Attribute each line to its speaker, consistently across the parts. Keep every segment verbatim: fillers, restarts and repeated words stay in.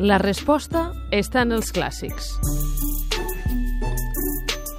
Speaker 1: La resposta està en els clàssics.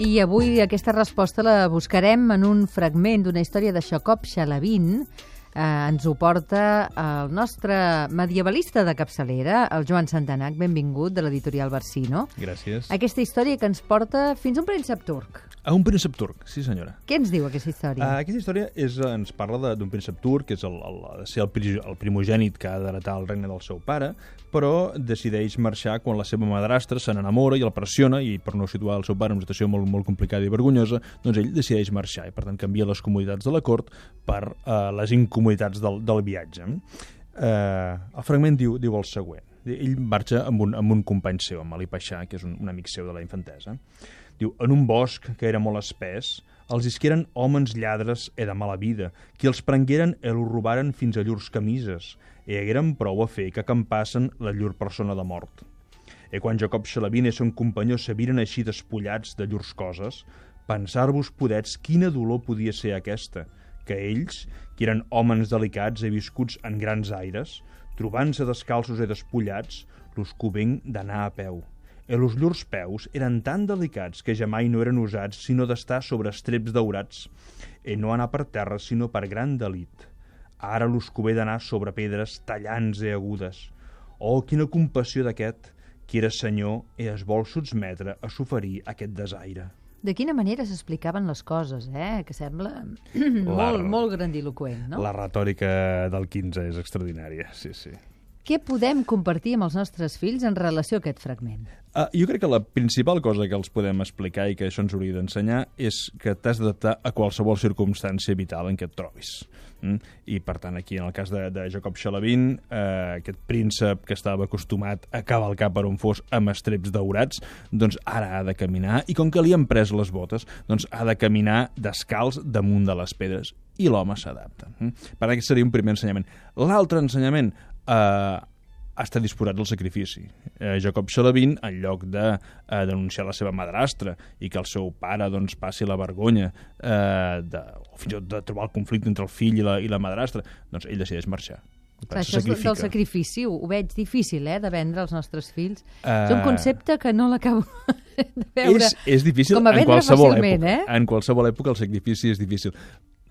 Speaker 2: I avui aquesta resposta la buscarem en un fragment d'una història de Jacob Chalavin. Eh, ens ho porta el nostre medievalista de capçalera, el Joan Santanac, benvingut, de l'editorial Barsino.
Speaker 3: Gràcies.
Speaker 2: Aquesta història que ens porta fins a un príncep turc.
Speaker 3: A un príncep turc, sí senyora.
Speaker 2: Què ens diu aquesta història?
Speaker 3: Uh, aquesta història és, ens parla d'un príncep turc, que és el, el, el, ser el, el primogènit que ha d'heretar el regne del seu pare, però decideix marxar quan la seva madrastra se n'enamora i el pressiona, i per no situar el seu pare en una situació molt, molt complicada i vergonyosa, doncs ell decideix marxar, i per tant canvia les comoditats de la cort per uh, les incomoditats del, del viatge. Uh, el fragment diu, diu el següent. Ell marxa amb un, amb un company seu, amb Ali Paixà, que és un, un amic seu de la infantesa. Diu, en un bosc que era molt espès, els isqueren homes lladres e de mala vida, qui els prengueren e lo robaren fins a llurs camises, e hagueren prou a fer que acampassen la llur persona de mort. E quan Jacob Chalavin e son companyó se viren així despullats de llurs coses, pensar-vos podets quina dolor podia ser aquesta, que ells, que eren homes delicats e viscuts en grans aires, trobant-se descalços e despullats, los covent d'anar a peu. E los llurs peus eren tan delicats que jamai no eren usats sinó d'estar sobre estreps daurats, e no anar per terra sinó per gran delit. Ara los cové d'anar sobre pedres tallants e agudes. Oh, quina compassió d'aquest, qui era senyor e es vol sotmetre a soferir aquest desaire.
Speaker 2: De quina manera s'explicaven les coses, eh? Que sembla molt,
Speaker 3: la,
Speaker 2: molt grandiloqüent, no?
Speaker 3: La retòrica del quinze és extraordinària, sí, sí.
Speaker 2: Què podem compartir amb els nostres fills en relació a aquest fragment?
Speaker 3: Uh, jo crec que la principal cosa que els podem explicar i que això ens hauria d'ensenyar és que t'has d'adaptar a qualsevol circumstància vital en què et trobis. Mm? I, per tant, aquí, en el cas de, de Jacob Chalavin, uh, aquest príncep que estava acostumat a cavalcar per on fos amb estreps daurats, doncs ara ha de caminar, i com que li han pres les botes, doncs ha de caminar descalç damunt de les pedres. I l'home s'adapta. Mm? Per tant, aquest seria un primer ensenyament. L'altre ensenyament, Uh, està disposat al sacrifici. Uh, Jacob Chalavin, en lloc de uh, denunciar la seva madrastra i que el seu pare doncs, passi la vergonya uh, de, o fins i tot de trobar el conflicte entre el fill i la, i la madrastra, doncs ell decideix marxar.
Speaker 2: Clar, això sacrifica. Del sacrifici ho veig difícil, eh, de vendre als nostres fills. Uh... És un concepte que no l'acabo de veure
Speaker 3: és, és difícil
Speaker 2: com a
Speaker 3: en
Speaker 2: vendre
Speaker 3: qualsevol
Speaker 2: fàcilment,
Speaker 3: època.
Speaker 2: Eh?
Speaker 3: En qualsevol època el sacrifici és difícil.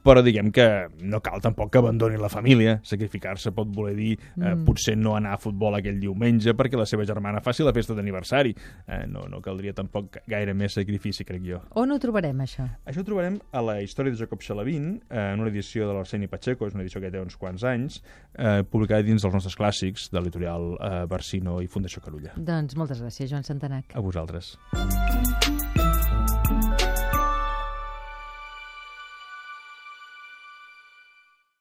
Speaker 3: Però diguem que no cal tampoc que abandoni la família. Sacrificar-se pot voler dir eh, mm. potser no anar a futbol aquell diumenge perquè la seva germana faci la festa d'aniversari. Eh, no, no caldria tampoc gaire més sacrifici, crec jo.
Speaker 2: On ho trobarem, això?
Speaker 3: Això ho trobarem a la història de Jacob Chalavin, eh, en una edició de l'Arseni Pacheco, és una edició que té uns quants anys, eh, publicada dins dels nostres clàssics de l'editorial eh, Barsino i Fundació Carulla.
Speaker 2: Doncs moltes gràcies, Joan Santanac.
Speaker 3: A vosaltres.